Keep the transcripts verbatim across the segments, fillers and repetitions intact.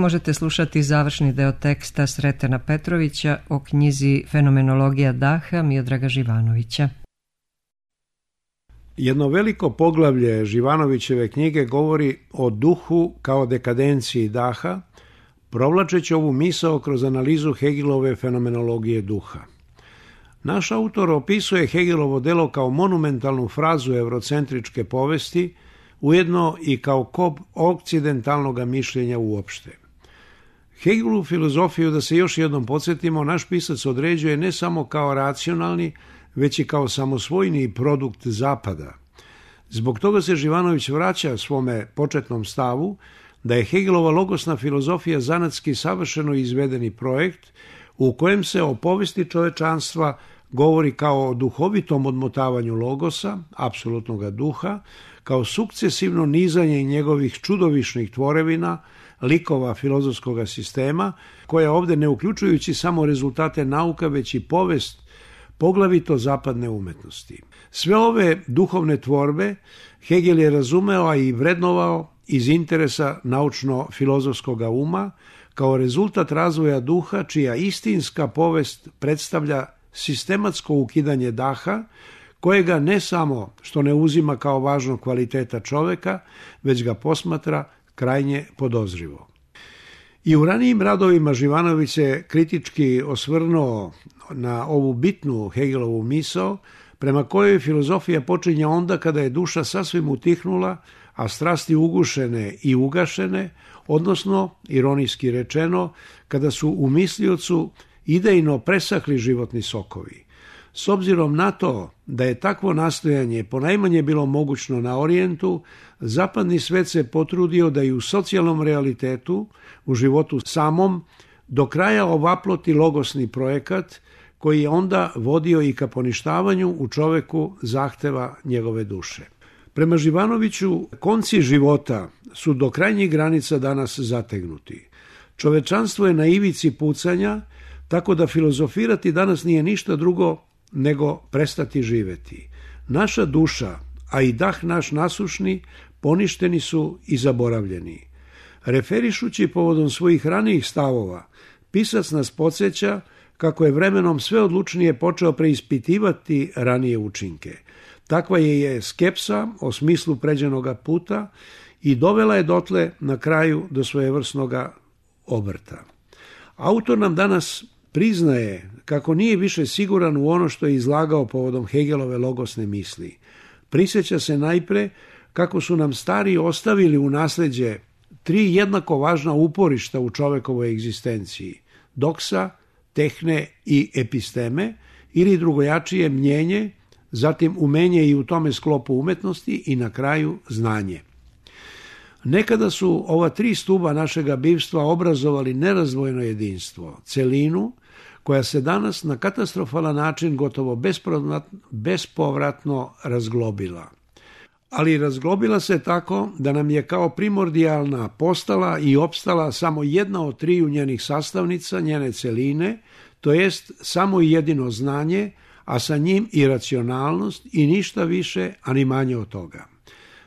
Možete slušati završni deo teksta Sretena Petrovića o knjizi Fenomenologija daha Miodraga Živanovića. Jedno veliko poglavlje Živanovićeve knjige govori o duhu kao dekadenciji daha, provlačeći ovu misao kroz analizu Hegelove fenomenologije duha. Naš autor opisuje Hegelovo delo kao monumentalnu frazu eurocentričke povesti, ujedno i kao kop okcidentalnog mišljenja uopšte. Hegelovu filozofiju, da se još jednom podsjetimo, naš pisac određuje ne samo kao racionalni, već i kao samosvojni produkt Zapada. Zbog toga se Živanović vraća svome početnom stavu da je Hegelova logosna filozofija zanatski savršeno izvedeni projekt u kojem se o povesti čovečanstva govori kao o duhovitom odmotavanju logosa, apsolutnog duha, kao sukcesivno nizanje njegovih čudovišnih tvorevina, likova filozofskog sistema, koja ovdje ne uključujući samo rezultate nauka, već i povest poglavito zapadne umetnosti. Sve ove duhovne tvorbe Hegel je razumeo, a i vrednovao iz interesa naučno-filozofskog uma, kao rezultat razvoja duha, čija istinska povest predstavlja sistematsko ukidanje daha, kojega ne samo što ne uzima kao važnog kvaliteta čoveka, već ga posmatra krajnje podozrivo. I u ranijim radovima Živanović se kritički osvrnuo na ovu bitnu Hegelovu misao, prema kojoj filozofija počinje onda kada je duša sasvim utihnula, a strasti ugušene i ugašene, odnosno, ironijski rečeno, kada su u misliocu idejno presahli životni sokovi. S obzirom na to da je takvo nastojanje ponajmanje bilo mogućno na Orijentu, zapadni svet se potrudio da i u socijalnom realitetu, u životu samom, do kraja ovaploti logosni projekat koji je onda vodio i ka poništavanju u čoveku zahteva njegove duše. Prema Živanoviću, konci života su do krajnjih granica danas zategnuti. Čovečanstvo je na ivici pucanja, tako da filozofirati danas nije ništa drugo nego prestati živeti. Naša duša, a i dah naš nasušni, poništeni su i zaboravljeni. Referišući povodom svojih ranijih stavova, pisac nas podsjeća kako je vremenom sve odlučnije počeo preispitivati ranije učinke. Takva je je skepsa o smislu pređenoga puta i dovela je dotle na kraju do svojevrsnoga obrta. Autor nam danas priznaje kako nije više siguran u ono što je izlagao povodom Hegelove logosne misli. Prisjeća se najpre kako su nam stari ostavili u nasljeđe tri jednako važna uporišta u čovekovoj egzistenciji: doksa, tehne i episteme, ili drugojačije mnjenje, zatim umenje i u tome sklopu umetnosti i na kraju znanje. Nekada su ova tri stuba našega bivstva obrazovali nerazdvojno jedinstvo, celinu, koja se danas na katastrofalan način gotovo bespovratno razglobila. Ali razglobila se tako da nam je kao primordijalna postala i opstala samo jedna od triju njenih sastavnica, njene celine, to jest samo i jedino znanje, a sa njim i racionalnost i ništa više, a ni manje od toga.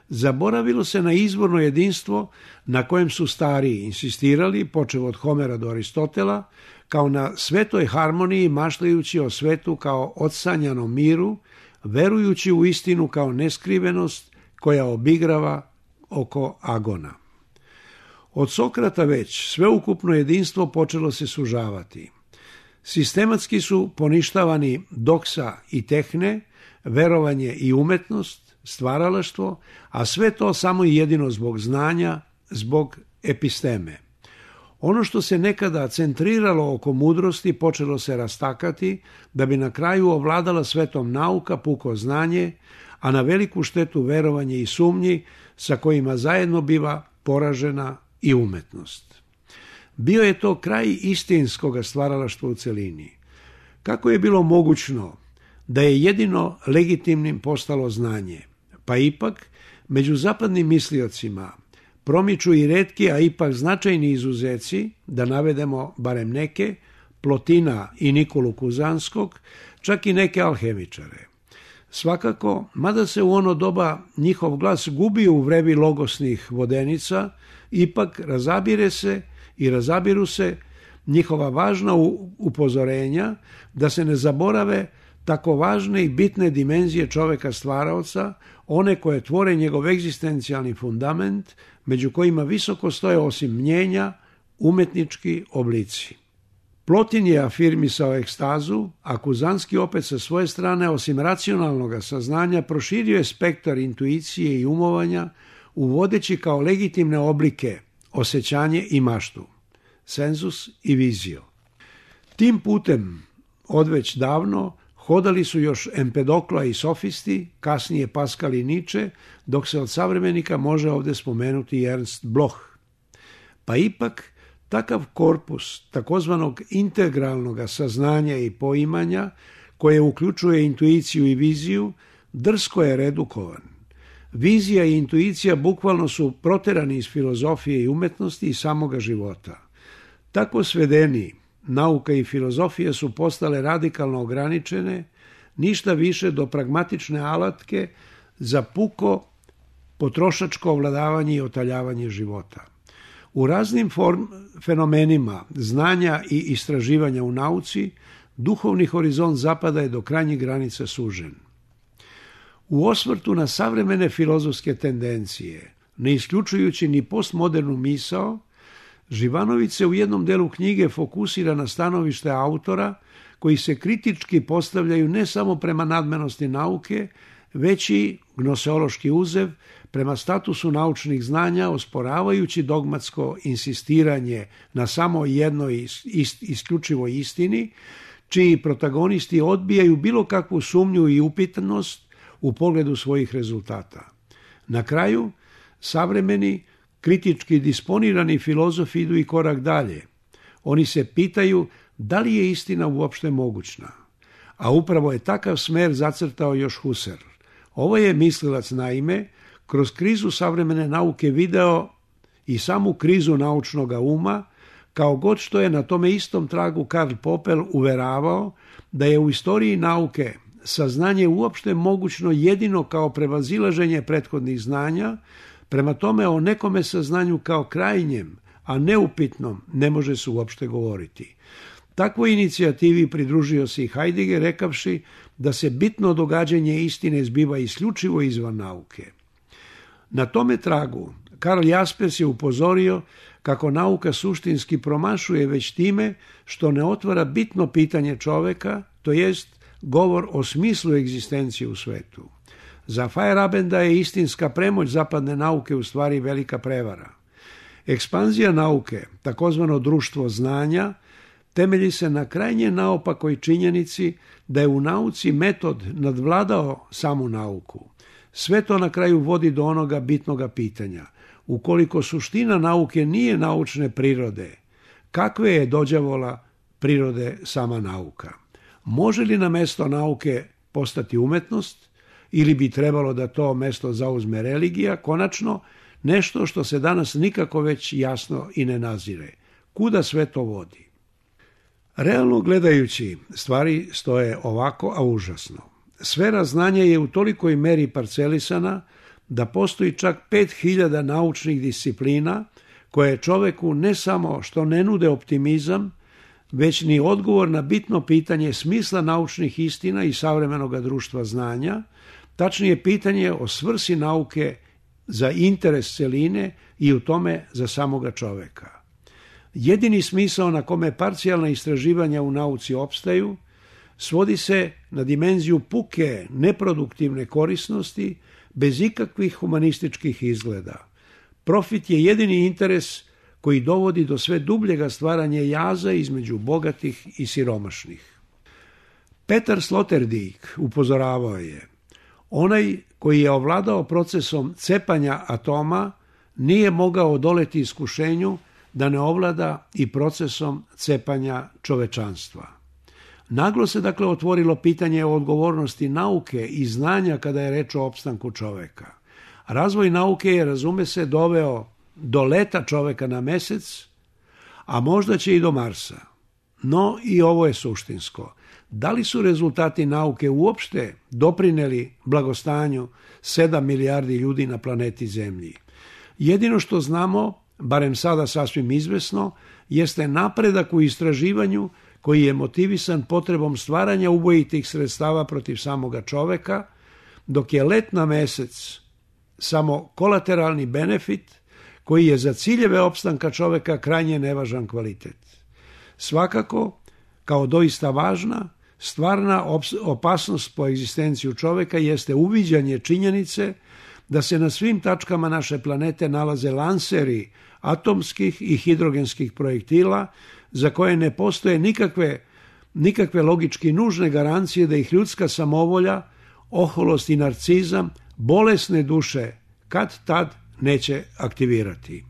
Zaboravilo se na izvorno jedinstvo na kojem su stariji insistirali, počev od Homera do Aristotela, kao na svetoj harmoniji, maštajući o svetu kao odsanjanom miru, verujući u istinu kao neskrivenost koja obigrava oko agona. Od Sokrata već sveukupno jedinstvo počelo se sužavati. Sistematski su poništavani doksa i tehne, verovanje i umetnost, stvaralaštvo, a sve to samo i jedino zbog znanja, zbog episteme. Ono što se nekada centriralo oko mudrosti počelo se rastakati, da bi na kraju ovladala svetom nauka, puko znanje, a na veliku štetu verovanje i sumnji, sa kojima zajedno biva poražena i umetnost. Bio je to kraj istinskog stvaralaštva u celini. Kako je bilo mogućno da je jedino legitimnim postalo znanje? Pa ipak, među zapadnim misliocima promiču i retki, a ipak značajni izuzeci, da navedemo barem neke, Plotina i Nikolu Kuzanskog, čak i neke alhemičare. Svakako, mada se u ono doba njihov glas gubio u vrevi logosnih vodenica, ipak razabire se i razabiru se njihova važna upozorenja da se ne zaborave tako važne i bitne dimenzije čoveka stvaraoca, one koje tvore njegov egzistencijalni fundament, među kojima visoko stoje osim mnjenja umetnički oblici. Plotin je afirmisao ekstazu, a Kuzanski opet sa svoje strane, osim racionalnog saznanja, proširio je spektar intuicije i umovanja, uvodeći kao legitimne oblike osjećanje i maštu, senzus i vizio. Tim putem odveć davno hodali su još Empedokla i sofisti, kasnije Pascal i Nietzsche, dok se od savremenika može ovdje spomenuti Ernst Bloch. Pa ipak, takav korpus takozvanog integralnog saznanja i poimanja, koje uključuje intuiciju i viziju, drsko je redukovan. Vizija i intuicija bukvalno su proterani iz filozofije i umetnosti i samoga života. Tako svedeni, nauka i filozofija su postale radikalno ograničene, ništa više do pragmatične alatke za puko potrošačko ovladavanje i otaljavanje života. U raznim form, fenomenima znanja i istraživanja u nauci, duhovni horizont zapada je do krajnjih granica sužen. U osvrtu na savremene filozofske tendencije, ne isključujući ni postmodernu misao, Živanović se u jednom delu knjige fokusira na stanovište autora koji se kritički postavljaju ne samo prema nadmenosti nauke, već i gnoseološki uzev prema statusu naučnih znanja, osporavajući dogmatsko insistiranje na samo jednoj ist, isključivoj istini, čiji protagonisti odbijaju bilo kakvu sumnju i upitanost u pogledu svojih rezultata. Na kraju, savremeni, kritički disponirani filozofi idu i korak dalje. Oni se pitaju da li je istina uopšte mogućna. A upravo je takav smer zacrtao još Husserl. Ovo je mislilac naime kroz krizu savremene nauke video i samu krizu naučnog uma, kao god što je na tome istom tragu Karl Popper uveravao da je u istoriji nauke saznanje uopšte mogućno jedino kao prevazilaženje prethodnih znanja, prema tome o nekome saznanju kao krajnjem, a neupitnom, ne može se uopšte govoriti. Takvoj inicijativi pridružio se i Heidegger, rekavši da se bitno događanje istine zbiva isključivo izvan nauke. Na tome tragu Karl Jaspers je upozorio kako nauka suštinski promašuje već time što ne otvara bitno pitanje čoveka, to jest govor o smislu egzistencije u svetu. Za Feyerabenda je istinska premoć zapadne nauke u stvari velika prevara. Ekspanzija nauke, takozvano društvo znanja, temelji se na krajnje naopakoj činjenici da je u nauci metod nadvladao samu nauku. Sve to na kraju vodi do onoga bitnoga pitanja. Ukoliko suština nauke nije naučne prirode, kakve je dođavola prirode sama nauka? Može li na mesto nauke postati umetnost ili bi trebalo da to mesto zauzme religija? Konačno, nešto što se danas nikako već jasno i ne nazire. Kuda sve to vodi? Realno gledajući, stvari stoje ovako, a užasno. Sfera znanja je u tolikoj meri parcelisana da postoji čak pet hiljada naučnih disciplina koje čoveku ne samo što ne nude optimizam, već ni odgovor na bitno pitanje smisla naučnih istina i savremenog društva znanja, tačnije pitanje o svrsi nauke za interes celine i u tome za samoga čoveka. Jedini smisao na kome parcijalna istraživanja u nauci opstaju svodi se na dimenziju puke, neproduktivne korisnosti, bez ikakvih humanističkih izgleda. Profit je jedini interes koji dovodi do sve dubljega stvaranja jaza između bogatih i siromašnih. Petar Sloterdijk upozoravao je, onaj koji je ovladao procesom cepanja atoma nije mogao odoleti iskušenju da ne ovlada i procesom cepanja čovečanstva. Naglo se dakle otvorilo pitanje o odgovornosti nauke i znanja kada je reč o opstanku čoveka. Razvoj nauke je, razume se, doveo do leta čoveka na mesec, a možda će i do Marsa. No i ovo je suštinsko. Da li su rezultati nauke uopšte doprineli blagostanju sedam milijardi ljudi na planeti Zemlji? Jedino što znamo, barem sada sasvim izvesno, jeste napredak u istraživanju koji je motivisan potrebom stvaranja ubojitih sredstava protiv samoga čoveka, dok je let na mesec samo kolateralni benefit koji je za ciljeve opstanka čoveka krajnje nevažan kvalitet. Svakako, kao doista važna, stvarna opasnost po egzistenciju čoveka jeste uviđanje činjenice da se na svim tačkama naše planete nalaze lanseri atomskih i hidrogenskih projektila za koje ne postoje nikakve, nikakve logički nužne garancije da ih ljudska samovolja, oholost i narcizam bolesne duše kad tad neće aktivirati.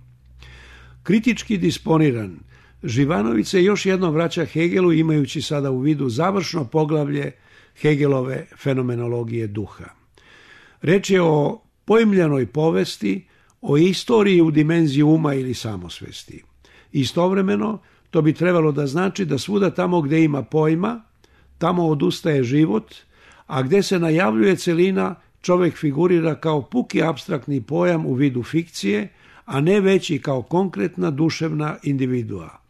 Kritički disponiran, Živanović se još jednom vraća Hegelu imajući sada u vidu završno poglavlje Hegelove fenomenologije duha. Reč je o pojmljenoj povesti, o istoriji u dimenziji uma ili samosvesti. Istovremeno, to bi trebalo da znači da svuda tamo gde ima pojma, tamo odustaje život, a gde se najavljuje celina, čovek figurira kao puki apstraktni pojam u vidu fikcije, a ne već i kao konkretna duševna individua.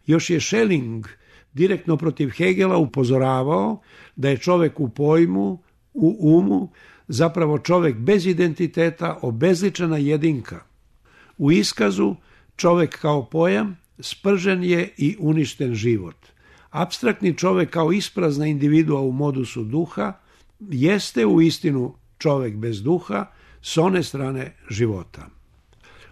Još je Schelling direktno protiv Hegela upozoravao da je čovek u pojmu, u umu, zapravo čovek bez identiteta, obezličena jedinka. U iskazu čovek kao pojam spržen je i uništen život. Apstraktni čovek kao isprazna individua u modusu duha jeste u istinu čovek bez duha s one strane života.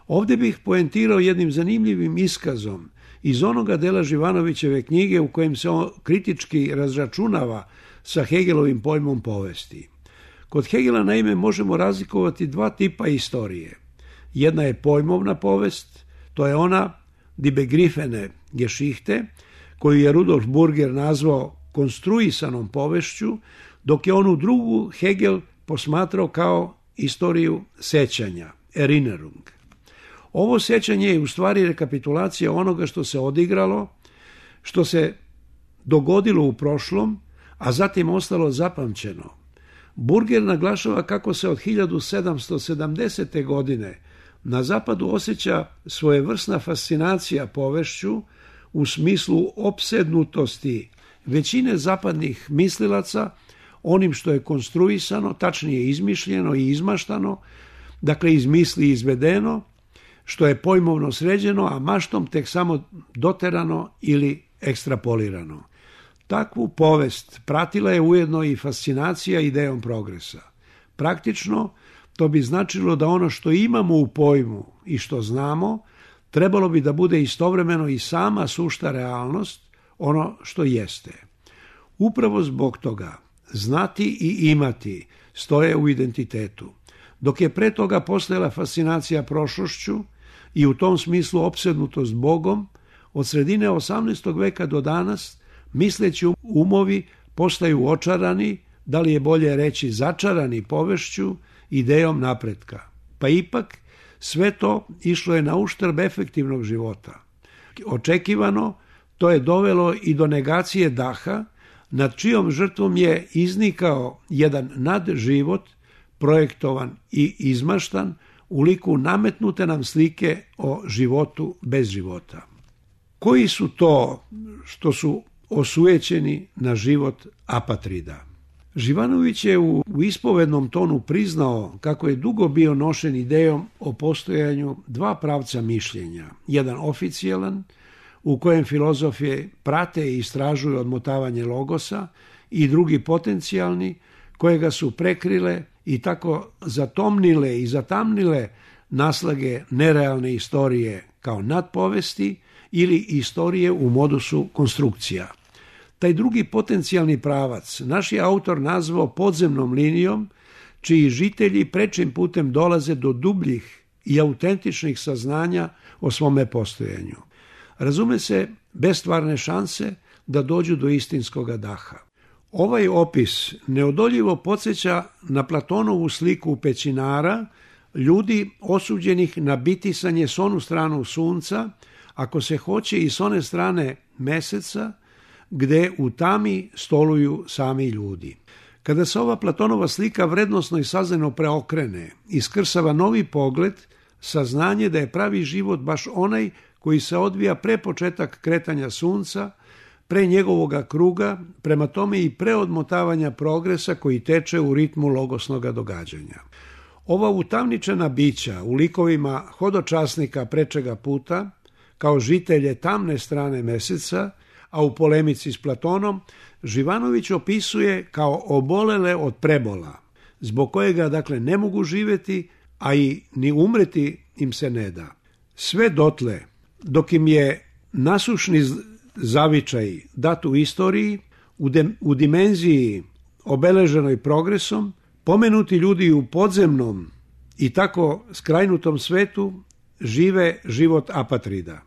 Ovdje bih poentirao jednim zanimljivim iskazom iz onoga dela Živanovićeve knjige u kojem se on kritički razračunava sa Hegelovim pojmom povesti. Kod Hegela naime možemo razlikovati dva tipa istorije. Jedna je pojmovna povest, to je ona die begriffene Geschichte, koju je Rudolf Burger nazvao konstruisanom povešću, dok je onu drugu Hegel posmatrao kao istoriju sećanja, Erinnerung. Ovo sećanje je u stvari rekapitulacija onoga što se odigralo, što se dogodilo u prošlom, a zatim ostalo zapamćeno. Burger naglašava kako se od hiljadu sedamsto sedamdesete. godine na zapadu osjeća svojevrsna fascinacija povešću u smislu opsednutosti većine zapadnih mislilaca onim što je konstruisano, tačnije izmišljeno i izmaštano, dakle iz misli izvedeno, što je pojmovno sređeno, a maštom tek samo doterano ili ekstrapolirano. Takvu povest pratila je ujedno i fascinacija idejom progresa. Praktično, to bi značilo da ono što imamo u pojmu i što znamo, trebalo bi da bude istovremeno i sama sušta realnost, ono što jeste. Upravo zbog toga, znati i imati stoje u identitetu. Dok je pre toga postojala fascinacija prošlošću i u tom smislu opsednutost Bogom, od sredine osamnaestog veka do danas misleći umovi postaju očarani, da li je bolje reći začarani povešću, idejom napretka. Pa ipak sve to išlo je na uštrb efektivnog života. Očekivano, to je dovelo i do negacije daha, nad čijom žrtvom je iznikao jedan nadživot, projektovan i izmaštan, u liku nametnute nam slike o životu bez života. Koji su to što su osujećeni na život apatrida? Živanović je u, u ispovednom tonu priznao kako je dugo bio nošen idejom o postojanju dva pravca mišljenja. Jedan oficijalan, u kojem filozofije prate i istražuju odmotavanje logosa, i drugi potencijalni, kojega su prekrile i tako zatomnile i zatamnile naslage nerealne istorije kao nadpovesti ili istorije u modusu konstrukcija. Taj drugi potencijalni pravac naš je autor nazvao podzemnom linijom, čiji žitelji prečim putem dolaze do dubljih i autentičnih saznanja o svome postojanju. Razume se, bez stvarne šanse da dođu do istinskoga daha. Ovaj opis neodoljivo podsjeća na Platonovu sliku pećinara, ljudi osuđenih na bitisanje s onu stranu sunca, ako se hoće i s one strane meseca, gde u tami stoluju sami ljudi. Kada se ova Platonova slika vrednosno i saznano preokrene, iskrsava novi pogled saznanje da je pravi život baš onaj koji se odvija pre početak kretanja sunca, pre njegovoga kruga, prema tome i pre odmotavanja progresa koji teče u ritmu logosnoga događanja. Ova utamničena bića u likovima hodočasnika prečega puta, kao žitelje tamne strane meseca, a u polemici s Platonom, Živanović opisuje kao obolele od prebola, zbog kojega dakle ne mogu živjeti, a i ni umreti im se ne da. Sve dotle, dok im je nasušni zavičaj dat u istoriji, u, de, u dimenziji obeleženoj progresom, pomenuti ljudi u podzemnom i tako skrajnutom svetu žive život apatrida.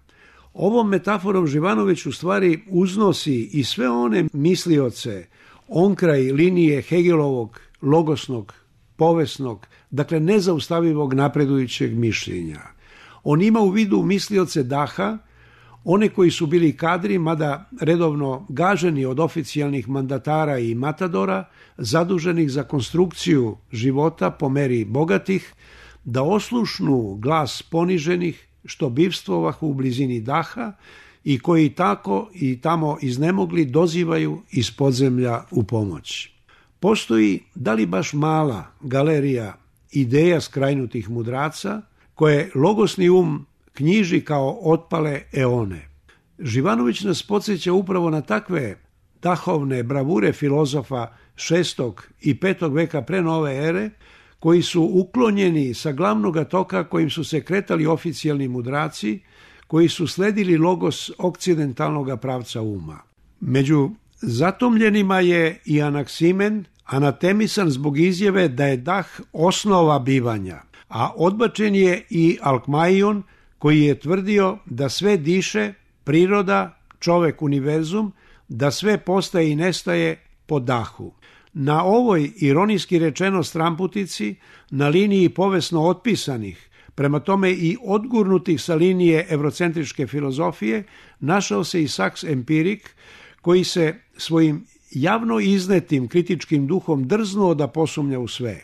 Ovom metaforom Živanović u stvari uznosi i sve one mislioce onkraj linije Hegelovog logosnog, povesnog, dakle nezaustavivog napredujućeg mišljenja. On ima u vidu mislioce daha, one koji su bili kadri, mada redovno gaženi od oficijalnih mandatara i matadora, zaduženih za konstrukciju života po meri bogatih, da oslušnu glas poniženih, što bivstvovah u blizini daha i koji tako i tamo iznemogli dozivaju iz podzemlja u pomoć. Postoji, da li baš mala galerija ideja skrajnutih mudraca, koje logosni um knjiži kao otpale eone. Živanović nas podsjeća upravo na takve dahovne bravure filozofa šestog i petog veka pre nove ere, koji su uklonjeni sa glavnog toka kojim su se kretali oficijalni mudraci, koji su sledili logos okcidentalnog pravca uma. Među zatomljenima je i Anaksimen, anatemisan zbog izjave da je dah osnova bivanja, a odbačen je i Alkmaion, koji je tvrdio da sve diše, priroda, čovek, univerzum, da sve postaje i nestaje po dahu. Na ovoj, ironijski rečeno, stramputici, na liniji povesno otpisanih, prema tome i odgurnutih sa linije evrocentričke filozofije, našao se i Saks empirik, koji se svojim javno iznetim kritičkim duhom drznuo da posumnja u sve.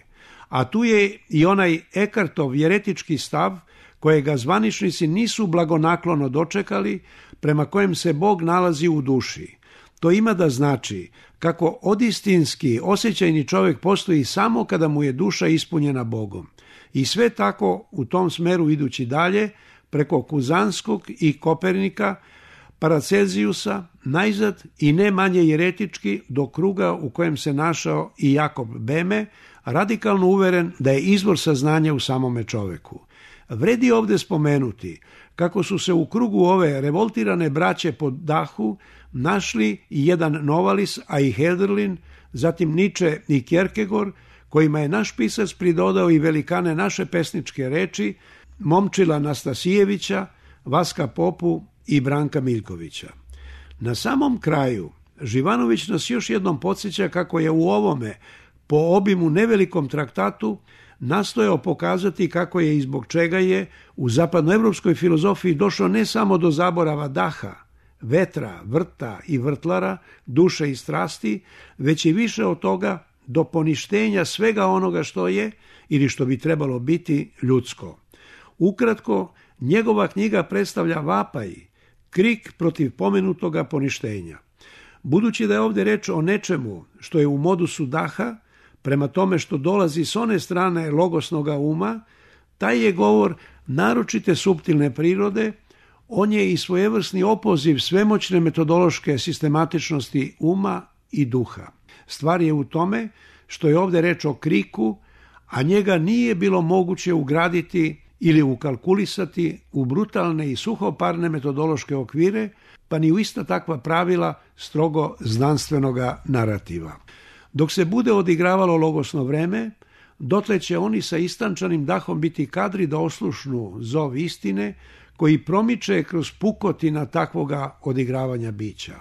A tu je i onaj Ekartov jeretički stav, kojega zvaničnici nisu blagonaklono dočekali, prema kojem se Bog nalazi u duši. To ima da znači kako odistinski osjećajni čovjek postoji samo kada mu je duša ispunjena Bogom. I sve tako u tom smeru idući dalje, preko Kuzanskog i Kopernika, Paracelzijusa, najzad i ne manje jeretički do kruga u kojem se našao i Jakob Beme, radikalno uveren da je izvor saznanja u samome čoveku. Vredi ovdje spomenuti kako su se u krugu ove revoltirane braće po dahu našli i jedan Novalis, a i Hölderlin, zatim Nietzsche i Kierkegaard, kojima je naš pisac pridodao i velikane naše pesničke reči, Momčila Nastasijevića, Vaska Popu i Branka Miljkovića. Na samom kraju, Živanović nas još jednom podsjeća kako je u ovome, po obimu nevelikom traktatu, nastojao pokazati kako je i zbog čega je u zapadnoevropskoj filozofiji došlo ne samo do zaborava daha, vetra, vrta i vrtlara, duše i strasti, već i više od toga do poništenja svega onoga što je ili što bi trebalo biti ljudsko. Ukratko, njegova knjiga predstavlja vapaj, krik protiv pomenutoga poništenja. Budući da je ovdje reč o nečemu što je u modusu daha, prema tome što dolazi s one strane logosnoga uma, taj je govor naročite suptilne prirode, on je i svojevrsni opoziv svemoćne metodološke sistematičnosti uma i duha. Stvar je u tome što je ovdje reč o kriku, a njega nije bilo moguće ugraditi ili ukalkulisati u brutalne i suhoparne metodološke okvire, pa ni u ista takva pravila strogo znanstvenoga narativa. Dok se bude odigravalo logosno vreme, dotle će oni sa istančanim dahom biti kadri da oslušnu zov istine koji promiče kroz pukotina takvoga odigravanja bića.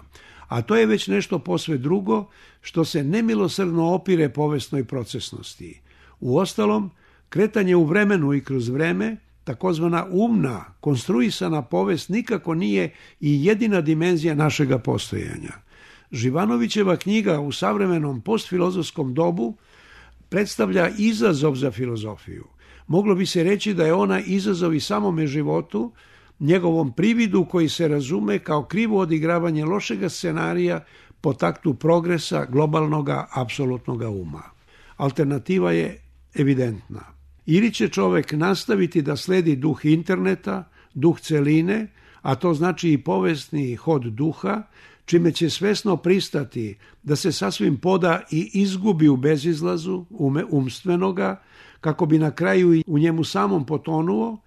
A to je već nešto posve drugo što se nemilosrdno opire povesnoj procesnosti. Uostalom, kretanje u vremenu i kroz vreme, takozvana umna, konstruisana povest nikako nije i jedina dimenzija našega postojanja. Živanovićeva knjiga u savremenom postfilozofskom dobu predstavlja izazov za filozofiju. Moglo bi se reći da je ona izazov i samome životu, njegovom prividu koji se razume kao krivo odigravanje lošega scenarija po taktu progresa globalnoga apsolutnoga uma. Alternativa je evidentna. Ili će čovek nastaviti da sledi duh interneta, duh celine, a to znači i povesni hod duha, čime će svesno pristati da se sasvim poda i izgubi u bezizlazu ume, umstvenoga, kako bi na kraju i u njemu samom potonuo,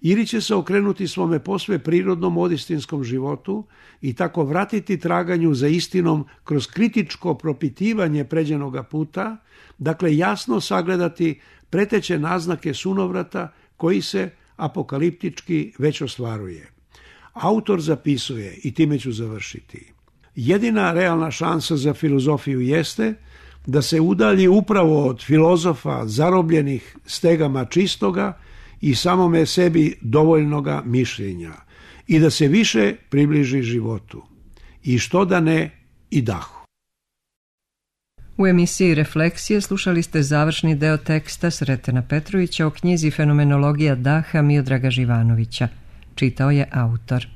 ili će se okrenuti svome posve prirodnom odistinskom životu i tako vratiti traganju za istinom kroz kritičko propitivanje pređenoga puta, dakle jasno sagledati preteće naznake sunovrata koji se apokaliptički već ostvaruje. Autor zapisuje, i time ću završiti: jedina realna šansa za filozofiju jeste da se udalji upravo od filozofa zarobljenih stegama čistoga i samome sebi dovoljnoga mišljenja i da se više približi životu. I što da ne, i dahu. U emisiji Refleksije slušali ste završni deo teksta Sretena Petrovića o knjizi Fenomenologija daha Miodraga Živanovića. Čitao je autor.